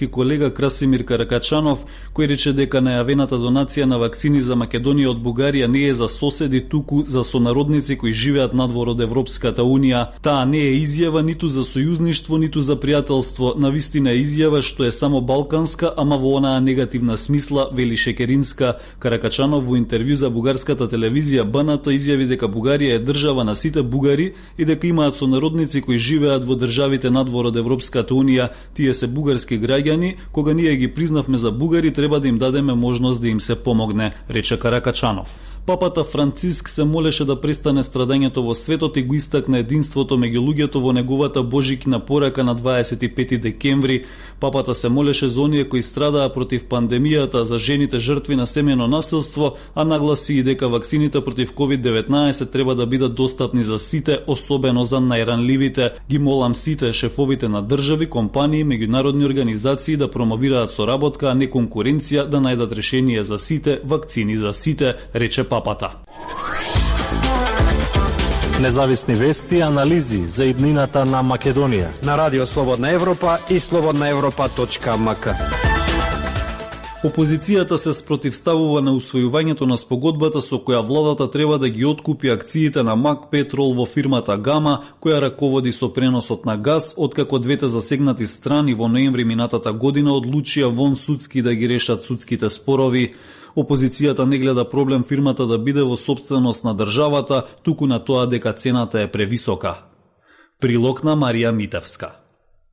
бугарски колега Красимир Каракачанов, кој рече дека најавената донација на вакцини за Македонија од Бугарија не е за соседи, туку за сонародници кои живеат надвор од Европската Унија. Таа не е изјава ниту за сојузништво, ниту за пријателство, навистина е изјава што е само балканска, ама во онаа негативна смисла, вели Шекеринска. Каракачанов во интервју за бугарската телевизија БНТ изјави дека Бугарија е држава на сите бугари и дека имаат сонародници кои живеат во државите надвор од Европската Унија. Тие се бугарски граѓани, кога ние ги признавме за бугари, треба да им дадеме можност да им се помогне, рече Каракачанов. Папата Франциск се молеше да престане страдањето во светот и го истакна единството меѓу луѓето во неговата божикина порака на 25 декември. Папата се молеше за оние кои страдаа против пандемијата, за жените жртви на семејно насилство, а нагласи и дека вакцините против COVID-19 треба да бидат достапни за сите, особено за најранливите. Ги молам сите шефовите на држави, компании, меѓународни организации да промовираат соработка, а не конкуренција, да најдат решение за сите, вакцини за сите, рече папата. Независни вести и анализи за иднината на Македонија на Радио Слободна Европа и slobodnaevropa.mk. Опозицијата се спротивставува на усвојувањето на спогодбата со која владата треба да ги откупи акциите на МАК Петрол во фирмата Гама, која раководи со преносот на газ, откако двете засегнати страни во ноември минатата година одлучија вон судски да ги решат судските спорови. Опозицијата не гледа проблем фирмата да биде во сопственост на државата, туку на тоа дека цената е превисока. Прилог на Марија Митевска.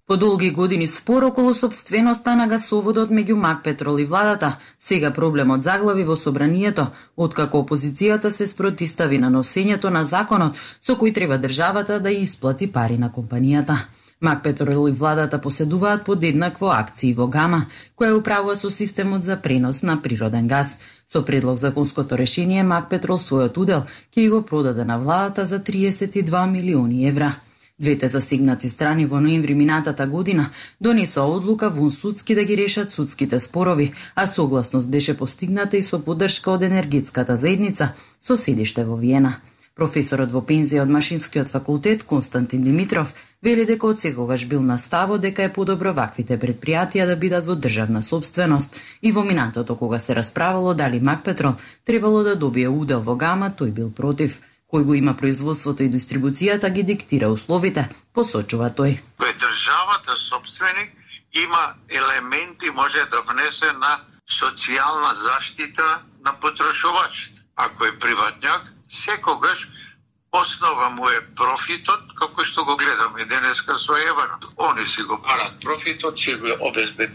По долги години спор околу сопственоста на гасоводот меѓу МАК Петрол и владата, сега проблемот заглави во собранието, откако опозицијата се спротивстави на носењето на законот со кој треба државата да исплати пари на компанијата. МАК Петрол и владата поседуваат подеднакво акции во Гама, која управува со системот за пренос на природен газ. Со предлог законското решение МАК Петрол својот удел ќе го продаде на владата за 32 милиони евра. Двете засегнати страни во ноември минатата година донесоа одлука вон судски да ги решат судските спорови, а согласност беше постигната и со поддршка од енергетската заедница со седиште во Виена. Професорот во пензија од Машинскиот факултет Константин Димитров вели дека од секогаш бил на ставот дека е подобро ваквите предпријатија да бидат во државна сопственост и во минатото кога се расправало дали МАК Петрол требало да добие удел во Гама, тој бил против. Кој го има производството и дистрибуцијата ги диктира условите, посочува тој. Кој државата собственик има елементи може да внесе на социјална заштита на потрошувачите. Ако е приватњак, секогаш основа му е профитот, како што го гледаме денеска со еврото. Они си го барат профитот, ќе го обезбедуваат